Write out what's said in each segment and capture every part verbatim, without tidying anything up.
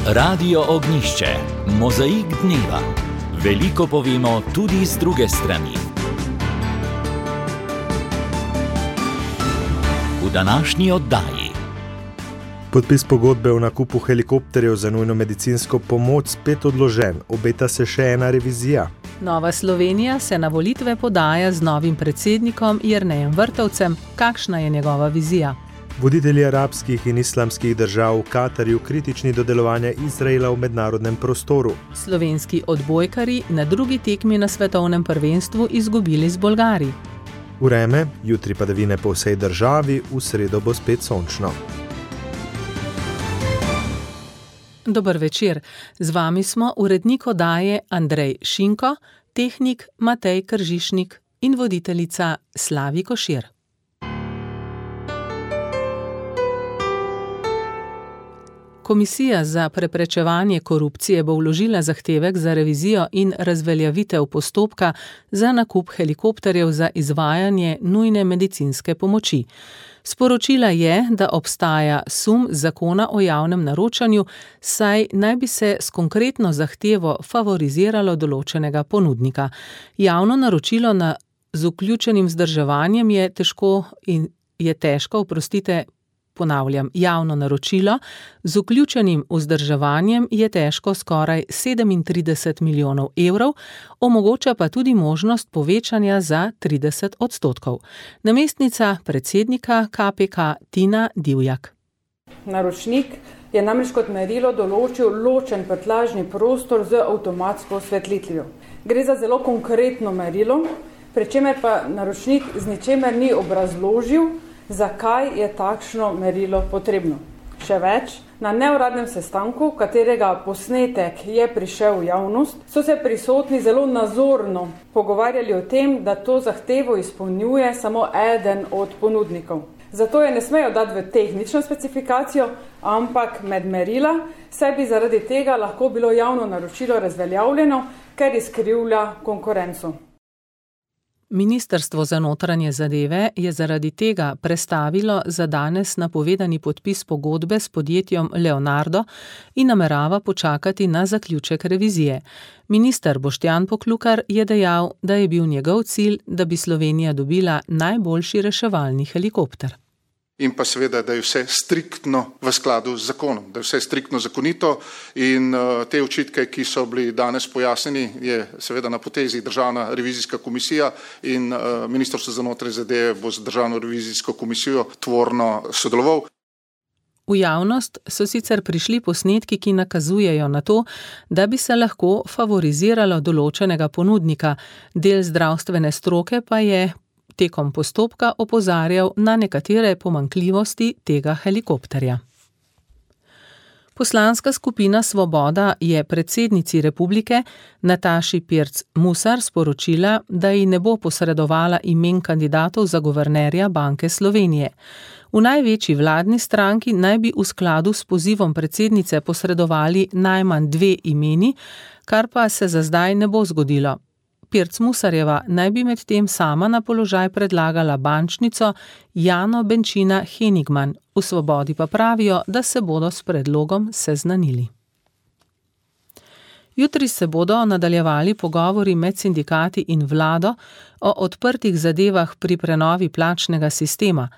Radio Ognišče, mozaik dneva. Veliko povemo tudi z druge strani. V današnji oddaji. Podpis pogodbe o nakupu helikopterjev za nujno medicinsko pomoč spet odložen, obeta se še ena revizija. Nova Slovenija se na volitve podaja z novim predsednikom Jernejem Vrtovcem. Kakšna je njegova vizija? Voditelji arabskih in islamskih držav v Katarju kritični do delovanja Izraela v mednarodnem prostoru. Slovenski odbojkarji na drugi tekmi na svetovnem prvenstvu izgubili z Bolgari. Vreme, jutri padavine po vsej državi, v sredo bo spet sončno. Dober večer. Z vami smo urednik oddaje Andrej Šinko, tehnik Matej Kržišnik in voditeljica Slavi Košir. Komisija za preprečevanje korupcije bo vložila zahtevek za revizijo in razveljavitev postopka za nakup helikopterjev za izvajanje nujne medicinske pomoči. Sporočila je, da obstaja sum zakona o javnem naročanju, saj naj bi se s konkretno zahtevo favoriziralo določenega ponudnika. Javno naročilo na, z vključenim vzdrževanjem je težko in je težko, oprostite, ponavljam, javno naročilo z vključenim vzdrževanjem je težko skoraj sedemintrideset milijonov evrov, omogoča pa tudi možnost povečanja za trideset odstotkov. Namestnica predsednika K P K Tina Divjak. Naročnik je namreč kot merilo določil ločen prtljažni prostor z avtomatsko osvetlitvijo. Gre za zelo konkretno merilo, pri čemer pa naročnik z ničemer ni obrazložil, zakaj je takšno merilo potrebno. Še več, na neuradnem sestanku, katerega posnetek je prišel v javnost, so se prisotni zelo nazorno pogovarjali o tem, da to zahtevo izpolnjuje samo eden od ponudnikov. Zato je ne smejo dati v tehnično specifikacijo, ampak med merila, saj bi zaradi tega lahko bilo javno naročilo razveljavljeno, ker izkrivlja konkurenco. Ministrstvo za notranje zadeve je zaradi tega prestavilo za danes napovedani podpis pogodbe s podjetjem Leonardo in namerava počakati na zaključek revizije. Minister Boštjan Poklukar je dejal, da je bil njegov cilj, da bi Slovenija dobila najboljši reševalni helikopter. In pa seveda, da je vse striktno v skladu z zakonom, da je vse striktno zakonito in uh, te očitke, ki so bili danes pojasnjeni, je seveda na potezi Državna revizijska komisija in uh, Ministrstvo za notranje zadeve bo z Državno revizijsko komisijo tvorno sodeloval. V javnost so sicer prišli posnetki, ki nakazujejo na to, da bi se lahko favoriziralo določenega ponudnika, del zdravstvene stroke pa je tekom postopka opozarjal na nekatere pomanjkljivosti tega helikopterja. Poslanska skupina Svoboda je predsednici republike Nataši Pirc Musar sporočila, da ji ne bo posredovala imen kandidatov za guvernerja Banke Slovenije. V največji vladni stranki naj bi v skladu s pozivom predsednice posredovali najmanj dve imeni, kar pa se za zdaj ne bo zgodilo. Pirc Musarjeva naj bi med tem sama na položaj predlagala bančnico Jano Benčina Henigman. V Svobodi pa pravijo, da se bodo s predlogom seznanili. Jutri se bodo nadaljevali pogovori med sindikati in vlado o odprtih zadevah pri prenovi plačnega sistema.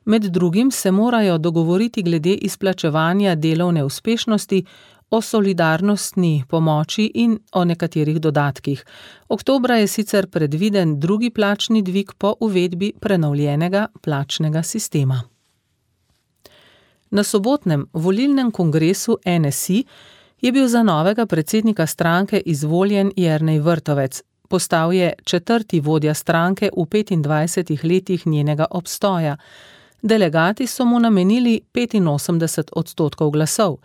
Med drugim se morajo dogovoriti glede izplačevanja delovne uspešnosti, o solidarnostni pomoči in o nekaterih dodatkih. Oktobra je sicer predviden drugi plačni dvig po uvedbi prenovljenega plačnega sistema. Na sobotnem volilnem kongresu N S I je bil za novega predsednika stranke izvoljen Jernej Vrtovec. Postal je četrti vodja stranke v petindvajsetih letih njenega obstoja. Delegati so mu namenili petinosemdeset odstotkov glasov.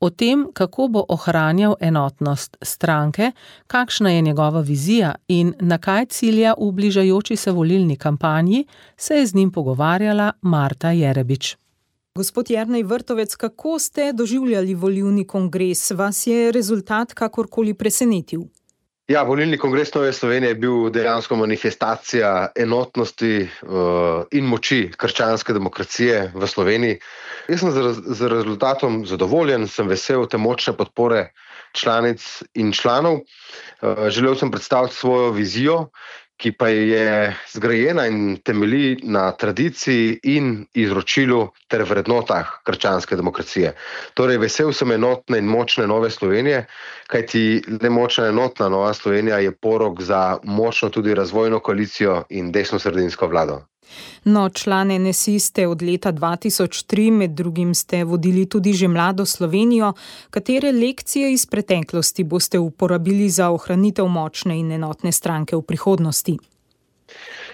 O tem, kako bo ohranjal enotnost stranke, kakšna je njegova vizija in na kaj cilja v bližajoči se volilni kampanji, se je z njim pogovarjala Marta Jerebič. Gospod Jernej Vrtovec, kako ste doživljali volilni kongres? Vas je rezultat kakorkoli presenetil? Ja, volilni kongres Nove Slovenije je bil dejansko manifestacija enotnosti uh, in moči krščanske demokracije v Sloveniji. Jaz sem z, z rezultatom zadovoljen, sem vesel te močne podpore članic in članov. Uh, želel sem predstaviti svojo vizijo, ki pa je zgrajena in temelji na tradiciji in izročilu ter vrednotah krščanske demokracije. Torej, vesel sem enotne in močne Nove Slovenije, kajti le močna enotna Nova Slovenija je porok za močno tudi razvojno koalicijo in desnosredinsko vlado. No, član N S I ste od leta dva tisoč tri, med drugim ste vodili tudi že Mlado Slovenijo. Katere lekcije iz preteklosti boste uporabili za ohranitev močne in enotne stranke v prihodnosti?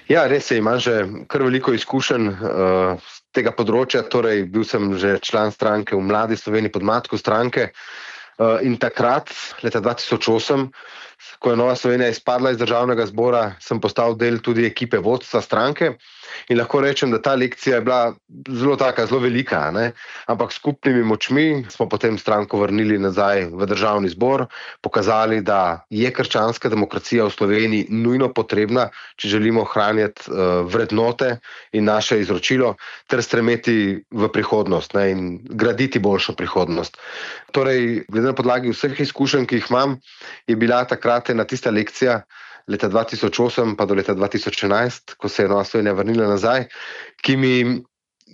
Ja, res je, imam že kar veliko izkušenj uh, z tega področja, torej bil sem že član stranke v Mladi Sloveniji pod matko stranke uh, in takrat, leta dva tisoč osem, ko je Nova Slovenija izpadla iz državnega zbora, sem postal del tudi ekipe vodstva stranke in lahko rečem, da ta lekcija je bila zelo taka, zelo velika, ne? Ampak skupnimi močmi smo potem stranko vrnili nazaj v državni zbor, pokazali, da je krščanska demokracija v Sloveniji nujno potrebna, če želimo ohranjati uh, vrednote in naše izročilo, ter stremeti v prihodnost, ne? In graditi boljšo prihodnost. Torej, glede na podlagi vseh izkušenj, ki jih imam, je bila takrat ena tista lekcija leta dva tisoč osem pa do leta dva tisoč enajst, ko se je Nova Slovenija vrnila nazaj, ki mi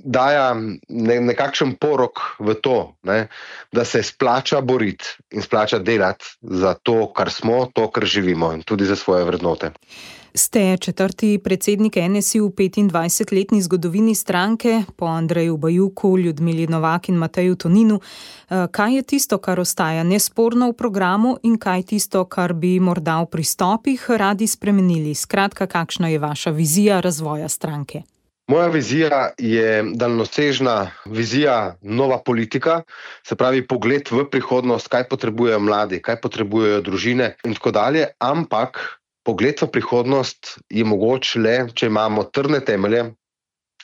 daja ne, nekakšen porok v to, ne, da se splača boriti in splača delati za to, kar smo, to, kar živimo in tudi za svoje vrednote. Ste četrti predsednik N S I v petindvajsetletni zgodovini stranke, po Andreju Bajuku, Ljudmili Novak in Mateju Toninu. Kaj je tisto, kar ostaja nesporno v programu in kaj tisto, kar bi morda v pristopih radi spremenili? Skratka, kakšna je vaša vizija razvoja stranke? Moja vizija je daljnosežna vizija, nova politika, se pravi pogled v prihodnost, kaj potrebujejo mladi, kaj potrebujejo družine in tako dalje, ampak pogled v prihodnost je mogoč le, če imamo trdne temelje,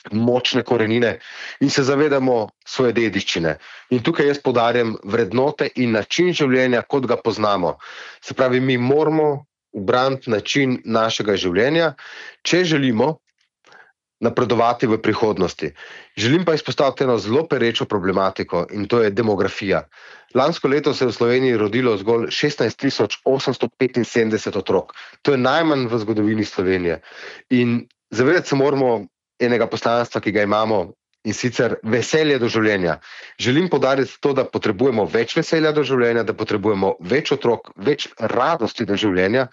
močne korenine in se zavedamo svoje dediščine. In tukaj jaz poudarjam vrednote in način življenja, kot ga poznamo. Se pravi, mi moramo ubraniti način našega življenja, če želimo napredovati v prihodnosti. Želim pa izpostaviti eno zelo perečo problematiko in to je demografija. Lansko leto se je v Sloveniji rodilo zgolj šestnajst tisoč osemsto petinsedemdeset otrok. To je najmanj v zgodovini Slovenije. In zavedati se moramo enega poslanstva, ki ga imamo, in sicer veselje do življenja. Želim poudariti to, da potrebujemo več veselja do življenja, da potrebujemo več otrok, več radosti do življenja,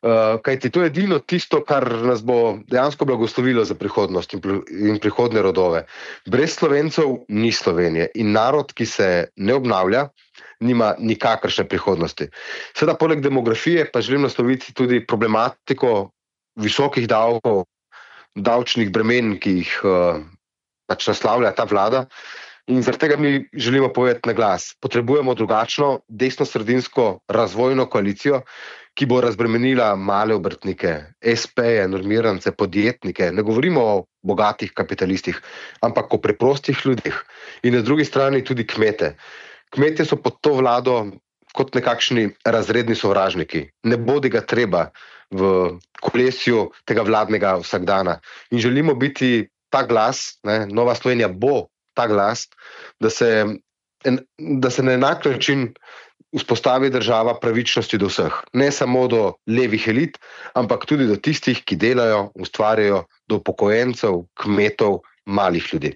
Uh, kajti to je edino tisto, kar nas bo dejansko blagoslovilo za prihodnost in, in prihodne rodove. Brez Slovencev ni Slovenije in narod, ki se ne obnavlja, nima nikakršne prihodnosti. Seveda, poleg demografije pa želim nasloviti tudi problematiko visokih davkov, davčnih bremen, ki jih uh, pač naslavlja ta vlada. In zaradi tega mi želimo povedati na glas. Potrebujemo drugačno desnosredinsko razvojno koalicijo, ki bo razbremenila male obrtnike, es peje, normirance, podjetnike. Ne govorimo o bogatih kapitalistih, ampak o preprostih ljudeh. In na drugi strani tudi kmete. Kmete so pod to vlado kot nekakšni razredni sovražniki. Ne bodi ga treba v kolesju tega vladnega vsakdana. In želimo biti ta glas, ne, Nova Slovenija bo ta glas, da se, da se na enak način vzpostavi država pravičnosti do vseh. Ne samo do levih elit, ampak tudi do tistih, ki delajo, ustvarjajo, do upokojencev, kmetov, malih ljudi.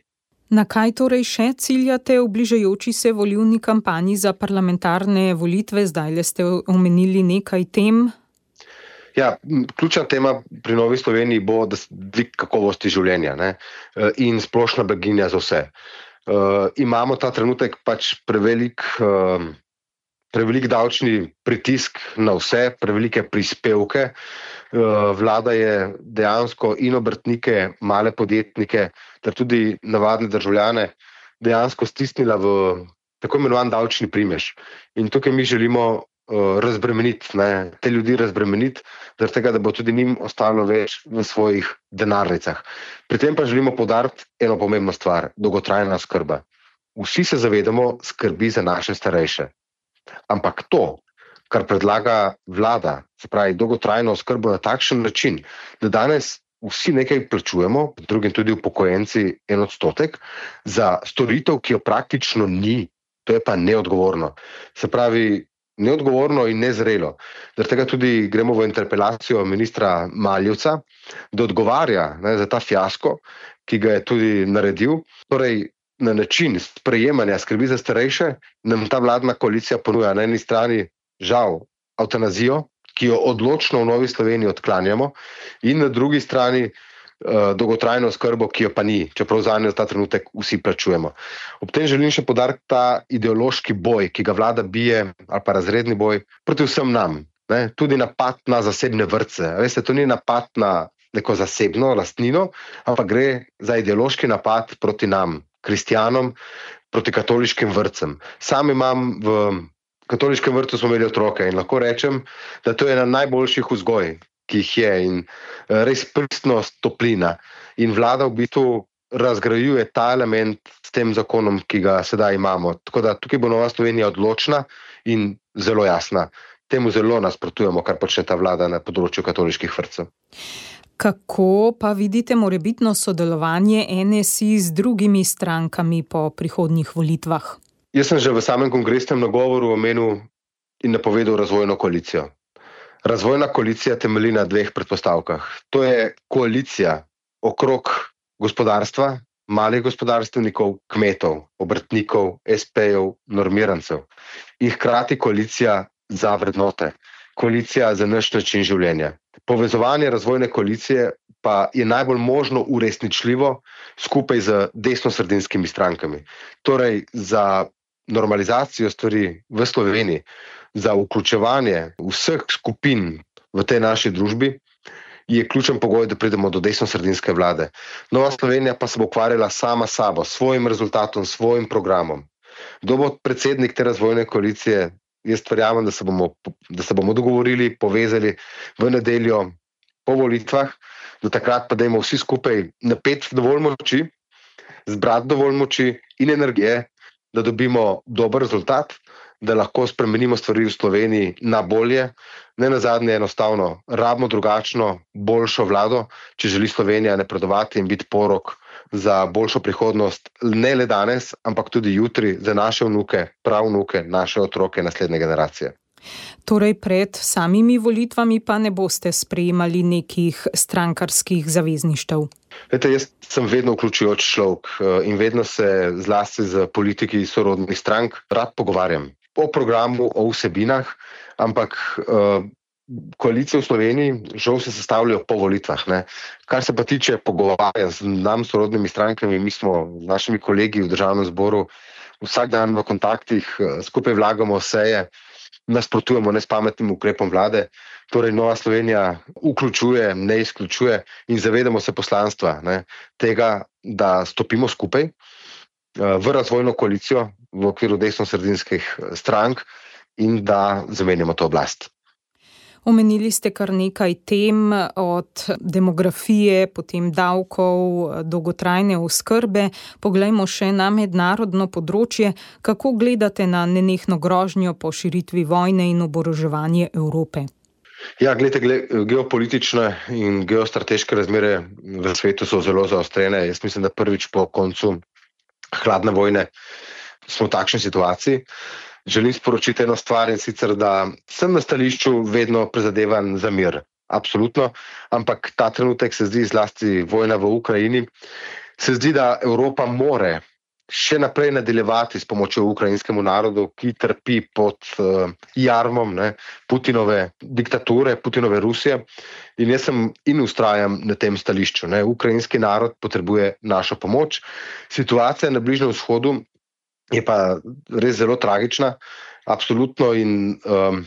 Na kaj torej še ciljate v bližajoči se volilni kampanji za parlamentarne volitve? Zdajle ste omenili nekaj tem. Ja, ključna tema pri Novi Sloveniji bo dvig kakovosti življenja, ne? In splošna blaginja za vse. Uh, imamo ta trenutek pač prevelik, uh, prevelik davčni pritisk na vse, prevelike prispevke. Uh, vlada je dejansko in obrtnike, male podjetnike, ter tudi navadne državljane dejansko stisnila v tako imenovan davčni primež. In tukaj mi želimo razbremeniti, ne, te ljudi razbremeniti, zaradi tega, da bo tudi njim ostalo več v svojih denarnicah. Pri tem pa želimo poudariti eno pomembno stvar, dolgotrajna oskrba. Vsi se zavedamo skrbi za naše starejše. Ampak to, kar predlaga vlada, se pravi dolgotrajno oskrbo na takšen način, da danes vsi nekaj plačujemo, drugim tudi upokojenci en odstotek, za storitev, ki jo praktično ni, to je pa neodgovorno. Se pravi, neodgovorno in nezrelo. Zaradi tega tudi gremo v interpelacijo ministra Maljevca, da odgovarja ne, za ta fiasko, ki ga je tudi naredil. Torej, na način sprejemanja skrbi za starejše nam ta vladna koalicija ponuja na eni strani žal evtanazijo, ki jo odločno v Novi Sloveniji odklanjamo, in na drugi strani uh, dolgotrajno oskrbo, ki jo pa ni, čeprav zanjo ta trenutek vsi plačujemo. Ob tem želim še poudariti ta ideološki boj, ki ga vlada bije, ali pa razredni boj, proti vsem nam. Ne? Tudi napad na zasebne vrtce. Veste, to ni napad na neko zasebno lastnino, ampak gre za ideološki napad proti nam, kristjanom, proti katoliškim vrtcem. Sam imam v katoliškem vrtu smo imeli otroke in lahko rečem, da to je ena najboljših vzgoj, ki jih je, in res pristnost, toplina. In vlada v bistvu razgrajuje ta element s tem zakonom, ki ga sedaj imamo. Tako da tukaj bo Nova Slovenija odločna in zelo jasna. Temu zelo nasprotujemo, kar počne ta vlada na področju katoliških vrtcev. Kako pa vidite morebitno sodelovanje N S I z drugimi strankami po prihodnjih volitvah? Jaz sem že v samem kongresnem nagovoru omenil in napovedal razvojno koalicijo. Razvojna koalicija temelji na dveh predpostavkah. To je koalicija okrog gospodarstva, malih gospodarstvenikov, kmetov, obrtnikov, es pejev, normirancev. In hkrati koalicija za vrednote, koalicija za naš način življenja. Povezovanje razvojne koalicije pa je najbolj možno uresničljivo skupaj z desnosredinskimi strankami. Torej za normalizacijo stvari v Sloveniji, za vključevanje vseh skupin v tej naši družbi je ključen pogoj, da pridemo do desnosredinske vlade. Nova Slovenija pa se bo ukvarjala sama sabo, svojim rezultatom, svojim programom. Kdo bo predsednik te razvojne koalicije? Jaz verjamem, da se bomo, da se bomo dogovorili, povezali v nedeljo po volitvah, do takrat pa dajmo vsi skupaj napeti dovolj moči, zbrati dovolj moči in energije, da dobimo dober rezultat, da lahko spremenimo stvari v Sloveniji na bolje. Ne nazadnje enostavno rabimo drugačno, boljšo vlado, če želi Slovenija napredovati in biti porok za boljšo prihodnost, ne le danes, ampak tudi jutri za naše vnuke, pravnuke, naše otroke, naslednje generacije. Torej pred samimi volitvami pa ne boste sprejemali nekih strankarskih zavezništev? Vete, jaz sem vedno vključujoč človek in vedno se zlasti z politiki sorodnih strank rad pogovarjam o programu, o vsebinah, ampak uh, koalicije v Sloveniji žal se sestavljajo po volitvah. Ne. Kar se pa tiče pogovarjanja z nam sorodnimi strankami, mi smo z našimi kolegi v državnem zboru vsak dan v kontaktih, skupaj vlagamo seje, nasprotujemo nespametnim ukrepom vlade. Torej Nova Slovenija vključuje, ne izključuje in zavedamo se poslanstva ne, tega, da stopimo skupaj v razvojno koalicijo v okviru desnosredinskih strank in da zamenjamo to oblast. Omenili ste kar nekaj tem, od demografije, potem davkov, dolgotrajne oskrbe. Poglejmo še na mednarodno področje. Kako gledate na nenehno grožnjo po širitvi vojne in oboroževanje Evrope? Ja, gledajte, geopolitične in geostrateške razmere v svetu so zelo zaostrene. Jaz mislim, da prvič po koncu hladne vojne smo v takšni situaciji. Želim sporočiti eno stvar, in sicer, da sem na stališču vedno prizadevan za mir. Absolutno. Ampak ta trenutek se zdi, zlasti vojna v Ukrajini, se zdi, da Evropa more še naprej nadaljevati s pomočjo ukrajinskemu narodu, ki trpi pod uh, jarmom ne, Putinove diktature, Putinove Rusije. In jaz sem in ustrajam na tem stališču. Ne. Ukrajinski narod potrebuje našo pomoč. Situacija na Bližnjem vzhodu je pa res zelo tragična, absolutno, in um,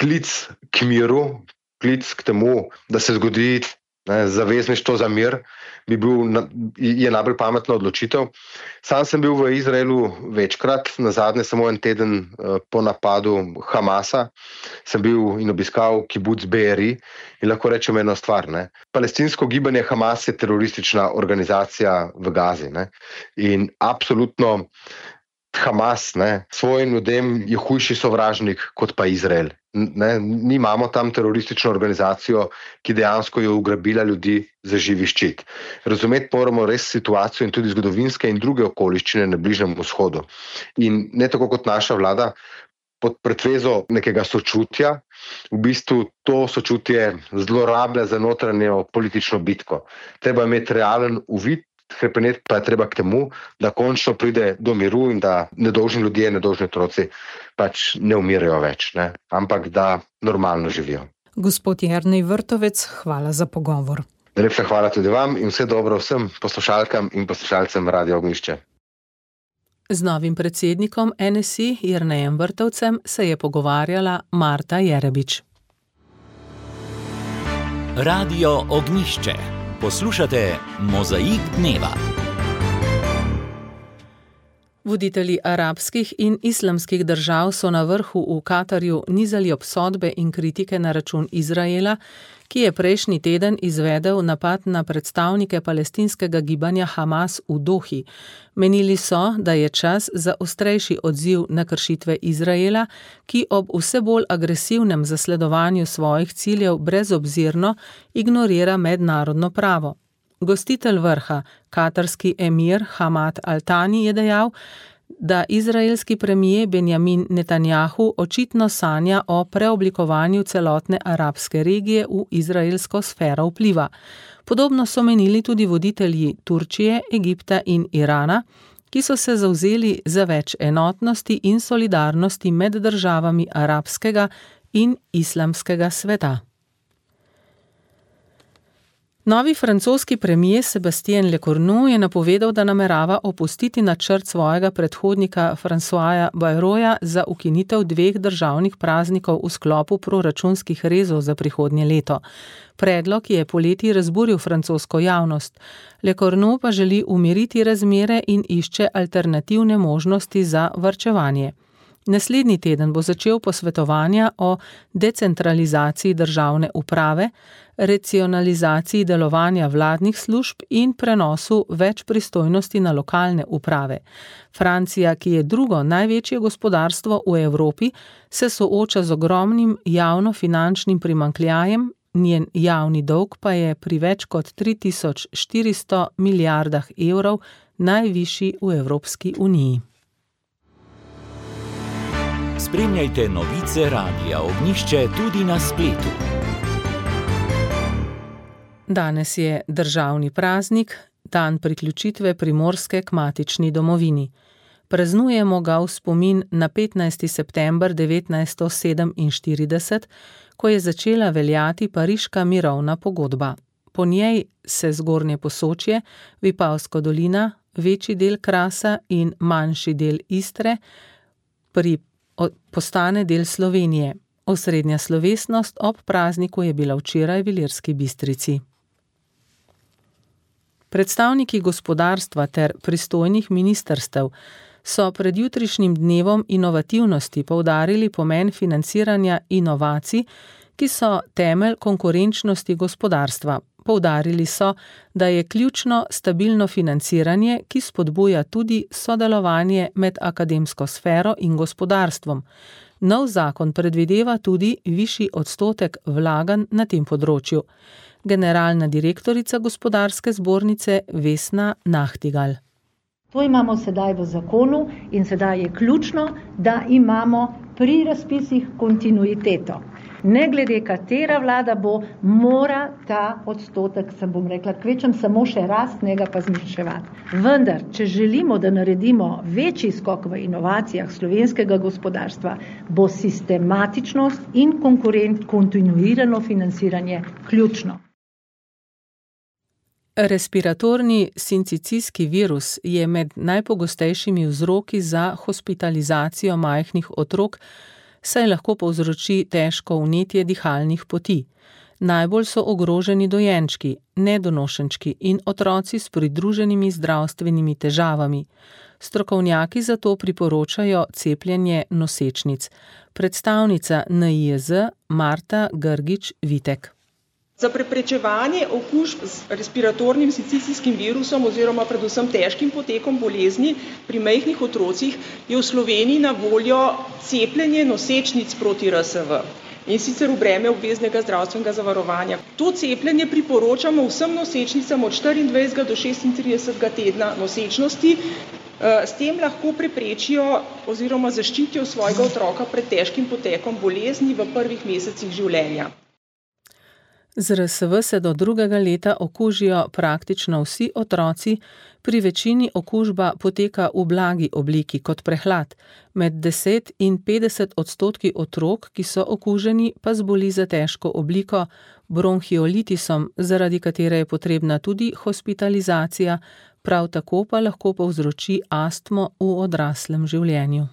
klic k miru, klic k temu, da se zgodi ne, zavezništvo za mir, bi bil, je najbolj pametna odločitev. Sam sem bil v Izraelu večkrat, nazadnje samo en teden uh, po napadu Hamasa, sem bil in obiskal kibuc Be'eri in lahko rečem eno stvar. Ne. Palestinsko gibanje Hamas je teroristična organizacija v Gazi. Ne. In absolutno Hamas, ne, svojim ljudem je hujši sovražnik kot pa Izrael. Ne, mi imamo tam teroristično organizacijo, ki dejansko je ugrabila ljudi za živi ščit. Razumeti moramo res situacijo in tudi zgodovinske in druge okoliščine na Bližnjem vzhodu. In ne tako kot naša vlada, pod pretvezo nekega sočutja, v bistvu to sočutje zlorablja za notranjo politično bitko. Treba imeti realen uvid, hrepeneti pa je treba k temu, da končno pride do miru in da nedolžni ljudje, nedolžni otroci pač ne umirajo več, ne? Ampak da normalno živijo. Gospod Jernej Vrtovec, hvala za pogovor. Najlepša hvala tudi vam in vse dobro vsem poslušalkam in poslušalcem Radia Ognjišče. Z novim predsednikom N S I Jernejem Vrtovcem se je pogovarjala Marta Jerebič. Radio Ognjišče. Poslušate Mozaik dneva. Voditelji arabskih in islamskih držav so na vrhu v Katarju nizali obsodbe in kritike na račun Izraela, ki je prejšnji teden izvedel napad na predstavnike palestinskega gibanja Hamas v Dohi. Menili so, da je čas za ostrejši odziv na kršitve Izraela, ki ob vse bolj agresivnem zasledovanju svojih ciljev brezobzirno ignorira mednarodno pravo. Gostitelj vrha, katarski emir Hamad Al-Thani, je dejal, da izraelski premijer Benjamin Netanjahu očitno sanja o preoblikovanju celotne arabske regije v izraelsko sfero vpliva. Podobno so menili tudi voditelji Turčije, Egipta in Irana, ki so se zavzeli za več enotnosti in solidarnosti med državami arabskega in islamskega sveta. Novi francoski premier Sébastien Lecornu je napovedal, da namerava opustiti načrt svojega predhodnika Françoisa Bayroja za ukinitev dveh državnih praznikov v sklopu proračunskih rezov za prihodnje leto. Predlog je poleti razburil francosko javnost. Lecornu pa želi umiriti razmere in išče alternativne možnosti za varčevanje. Naslednji teden bo začel posvetovanja o decentralizaciji državne uprave, racionalizaciji delovanja vladnih služb in prenosu več pristojnosti na lokalne uprave. Francija, ki je drugo največje gospodarstvo v Evropi, se sooča z ogromnim javnofinančnim primanjkljajem, njen javni dolg pa je pri več kot tri tisoč štiristo milijardah evrov najvišji v Evropski uniji. Spremljajte novice Radia Ognjišče tudi na spletu. Danes je državni praznik, dan priključitve Primorske k matični domovini. Praznujemo ga v spomin na petnajsti september devetnajststo sedeminštirideset, ko je začela veljati Pariška mirovna pogodba. Po njej se Zgornje Posočje, Vipavska dolina, večji del Krasa in manjši del Istre pri postane del Slovenije. Osrednja slovesnost ob prazniku je bila včeraj v Ilirski Bistrici. Predstavniki gospodarstva ter pristojnih ministrstev so pred jutrišnjim dnevom inovativnosti poudarili pomen financiranja inovacij, ki so temelj konkurenčnosti gospodarstva. Poudarili so, da je ključno stabilno financiranje, ki spodbuja tudi sodelovanje med akademsko sfero in gospodarstvom. Nov zakon predvideva tudi višji odstotek vlaganj na tem področju. Generalna direktorica gospodarske zbornice Vesna Nahtigal. To imamo sedaj v zakonu in sedaj je ključno, da imamo pri razpisih kontinuiteto. Ne glede katera vlada bo, mora ta odstotek, sem bom rekla, kvečem samo še rast, njega pa zmanjševati. Vendar, če želimo, da naredimo večji skok v inovacijah slovenskega gospodarstva, bo sistematičnost in konkurent kontinuirano financiranje ključno. Respiratorni sincicijski virus je med najpogostejšimi vzroki za hospitalizacijo majhnih otrok, saj lahko povzroči težko vnetje dihalnih poti. Najbolj so ogroženi dojenčki, nedonošenčki in otroci s pridruženimi zdravstvenimi težavami. Strokovnjaki zato priporočajo cepljenje nosečnic. Predstavnica N I J Z Marta Grgič Vitek. Za preprečevanje okužb z respiratornim sincicijskim virusom oziroma predvsem težkim potekom bolezni pri majhnih otrocih je v Sloveniji na voljo cepljenje nosečnic proti R S V in sicer v breme obveznega zdravstvenega zavarovanja. To cepljenje priporočamo vsem nosečnicam od štiriindvajsetega do šestintridesetega tedna nosečnosti. S tem lahko preprečijo oziroma zaščitijo svojega otroka pred težkim potekom bolezni v prvih mesecih življenja. Z R S V se do drugega leta okužijo praktično vsi otroci, pri večini okužba poteka v blagi obliki kot prehlad. Med deset in petdeset odstotki otrok, ki so okuženi, pa zboli za težko obliko, bronhiolitisom, zaradi katere je potrebna tudi hospitalizacija, prav tako pa lahko povzroči astmo v odraslem življenju.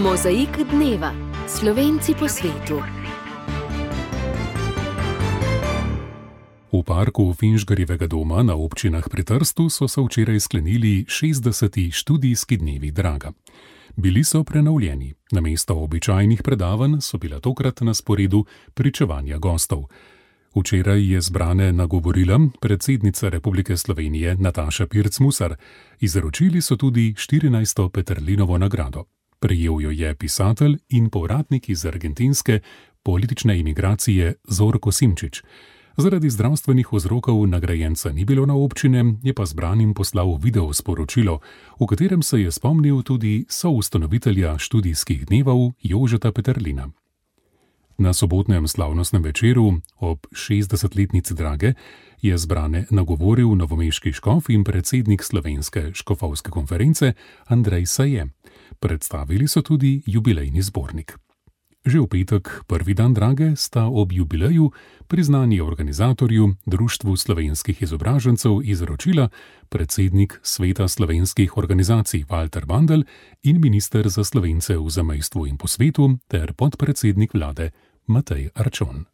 Mozaik dneva. Slovenci po svetu. V parku Finžgarjevega doma na občinah pri Trstu so se včeraj sklenili šestdeseti študijski dnevi Draga. Bili so prenovljeni. Namesto običajnih predavanj so bila tokrat na sporedu pričevanja gostov. Včeraj je zbrane nagovorila predsednica Republike Slovenije Nataša Pirc-Musar. Izročili so tudi štirinajsto Peterlinovo nagrado. Prejel jo je pisatelj in povratnik iz argentinske politične imigracije Zorko Simčič. Zaradi zdravstvenih vzrokov nagrajenca ni bilo na občine, je pa zbranim poslal video sporočilo, v katerem se je spomnil tudi soustanovitelja študijskih dnevov Jožeta Peterlina. Na sobotnem slavnostnem večeru ob šestdesetletnici Drage je zbrane nagovoril novomeški škof in predsednik Slovenske škofovske konference Andrej Saje. Predstavili so tudi jubilejni zbornik. Že v petek, prvi dan Drage, sta ob jubileju priznanje organizatorju, Društvu slovenskih izobražencev, izročila predsednik Sveta slovenskih organizacij Walter Bandl in minister za Slovence v zamejstvu in po svetu ter podpredsednik vlade Matej Arčon.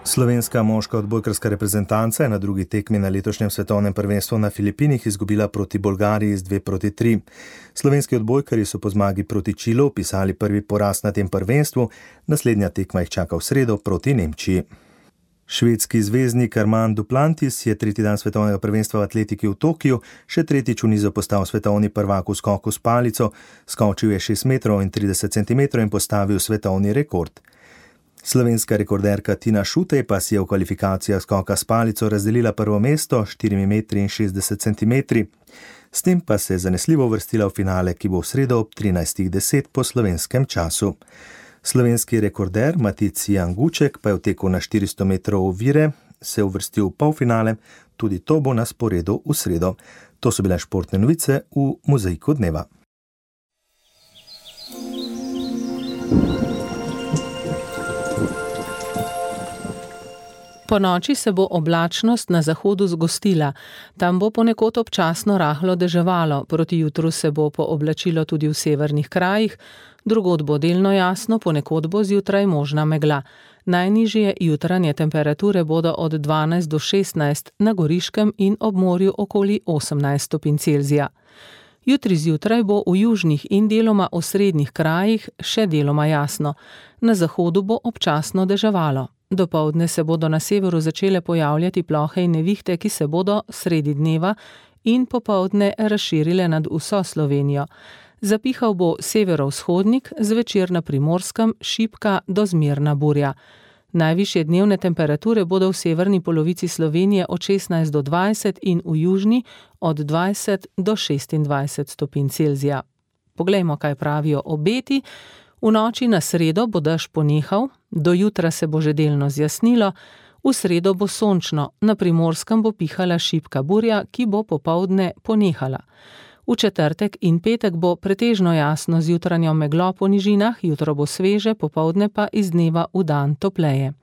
Slovenska moška odbojkarska reprezentanca je na drugi tekmi na letošnjem svetovnem prvenstvu na Filipinih izgubila proti Bolgariji z dve proti tri. Slovenski odbojkarji so po zmagi proti Čilu pisali prvi poraz na tem prvenstvu, naslednja tekma jih čaka v sredo proti Nemčiji. Švedski zvezdnik Armand Duplantis je tretji dan svetovnega prvenstva v atletiki v Tokiu še tretjič v nizu postal svetovni prvak v skoku s palico, skočil je šest metrov in trideset centimetrov in postavil svetovni rekord. Slovenska rekorderka Tina Šutej pa si je v kvalifikacijah skoka s palico razdelila prvo mesto štiri metre in šestdeset centimetrov. S tem pa se je zanesljivo uvrstila v finale, ki bo v sredo ob trinajstih deset po slovenskem času. Slovenski rekorder Matic Janguček pa je v teku na štiristo metrov ovire se uvrstil v polfinale, tudi to bo na sporedu v sredo. To so bile športne novice v Mozaiku dneva. Po noči se bo oblačnost na zahodu zgostila. Tam bo ponekod občasno rahlo deževalo, proti jutru se bo pooblačilo tudi v severnih krajih, drugod bo delno jasno, ponekod bo zjutraj možna megla. Najnižje jutranje temperature bodo od dvanajst do šestnajst, na Goriškem in ob morju okoli osemnajst stopinj Celzija. Jutri zjutraj bo v južnih in deloma osrednjih krajih še deloma jasno. Na zahodu bo občasno deževalo. Dopoldne se bodo na severu začele pojavljati plohe in nevihte, ki se bodo sredi dneva in popoldne razširile nad vso Slovenijo. Zapihal bo severovzhodnik, zvečer na Primorskem šibka do zmerna burja. Najvišje dnevne temperature bodo v severni polovici Slovenije od šestnajst do dvajset in v južni od dvajset do šestindvajset stopinj Celzija. Poglejmo, kaj pravijo obeti. V noči na sredo bo dež ponehal, do jutra se bo že delno zjasnilo, v sredo bo sončno, na Primorskem bo pihala šibka burja, ki bo popoldne ponehala. V četrtek in petek bo pretežno jasno z jutranjo meglo po nižinah, jutro bo sveže, popoldne pa iz dneva v dan topleje.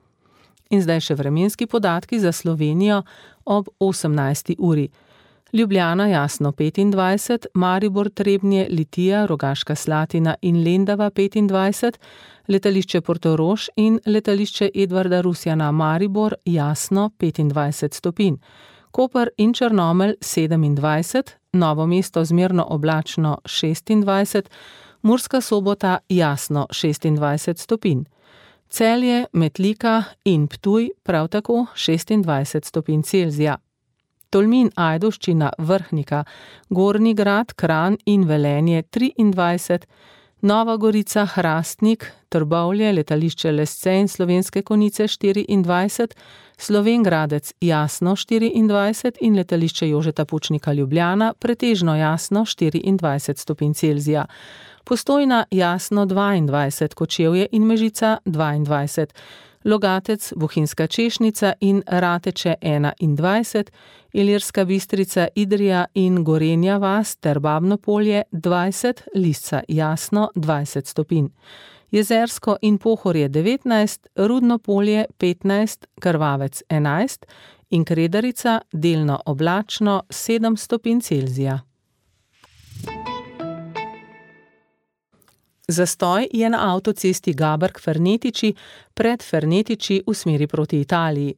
In zdaj še vremenski podatki za Slovenijo ob osemnajsti uri. Ljubljana jasno petindvajset, Maribor, Trebnje, Litija, Rogaška Slatina in Lendava petindvajset, letališče Portorož in letališče Edvarda Rusjana Maribor jasno petindvajset stopinj. Koper in Črnomelj sedemindvajset, Novo mesto zmerno oblačno šestindvajset, Murska Sobota jasno šestindvajset stopinj. Celje, Metlika in Ptuj prav tako šestindvajset stopinj Celzija. Tolmin, Ajdovščina, Vrhnika, Gornji Grad, Kranj in Velenje triindvajset, Nova Gorica, Hrastnik, Trbovlje, letališče Lesce in Slovenske Konjice štiriindvajset, Slovenj Gradec jasno štiriindvajset in letališče Jožeta Pučnika Ljubljana pretežno jasno štiriindvajset stopinj Celzija. Postojna jasno dvaindvajset, Kočevje in Mežica dvaindvajset, Logatec, Bohinjska Češnica in Rateče enaindvajset, Ilirska Bistrica, Idrija in Gorenja vas ter Babno Polje dvajset, Lisca jasno dvajset stopinj. Jezersko in Pohorje devetnajst, Rudno Polje petnajst, Krvavec enajst in Kredarica delno oblačno sedem stopinj Celzija. Zastoj je na avtocesti Gaberg-Fernetiči pred Fernetiči v smeri proti Italiji.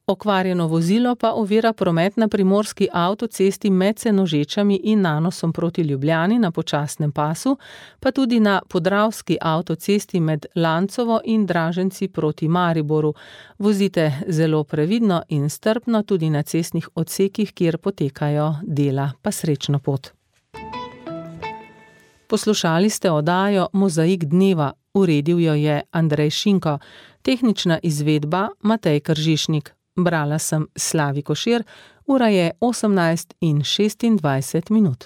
Okvarjeno vozilo pa ovira promet na primorski avtocesti med Senožečami in Nanosom proti Ljubljani na počasnem pasu, pa tudi na podravski avtocesti med Lancovo in Draženci proti Mariboru. Vozite zelo previdno in strpno tudi na cestnih odsekih, kjer potekajo dela, pa srečno pot. Poslušali ste oddajo Mozaik dneva, uredil jo je Andrej Šinko, tehnična izvedba Matej Kržišnik. Brala sem Slavi Košir, ura je osemnajst in šestindvajset minut.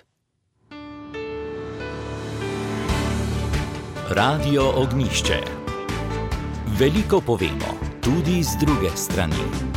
Radio Ognjišče. Veliko povemo, tudi z druge strani.